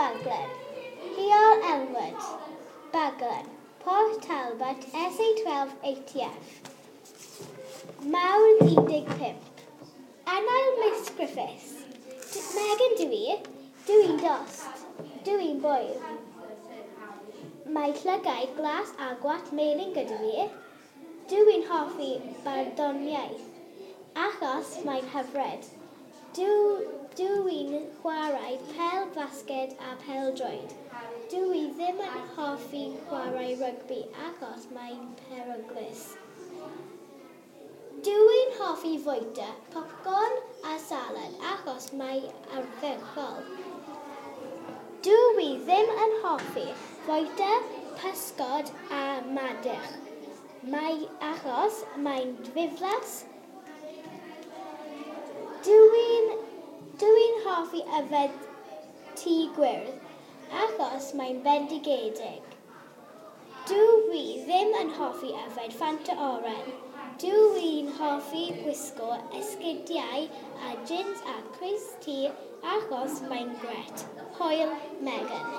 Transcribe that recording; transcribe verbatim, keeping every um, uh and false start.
Baglan, Heol Elmwood, Baglan, Port Talbot, S A twelve eight F. Mawrth un deg pump. Anael Miss Griffiths. Megan dw i. Dw i'n dost. Dw i'n bwyr. Mae llygaid glas a gwallt melyn gyda fi. Dw i'n hoffi barddoniaeth, achos mae'n hyfryd. Dw, dw i'n chwarae pêl fasged a pêl-droed. Dw i ddim yn hoffi chwarae rygbi achos mae'n peryglus. Dw i'n hoffi fwyta popcorn a salad achos mae ardderchog. Dw i ddim yn hoffi fwyta pysgod a madarch. Mae achos mae'n ddiflas. Dw i'n dw i'n hoffi yfed tŷ gwyrdd achos mae'n bendigedig. Dw i ddim yn hoffi yfed Fanta oren. Dw i'n hoffi gwisgo esgidiau a jins a crys-T achos mae'n grêt. Hwyl, Megan.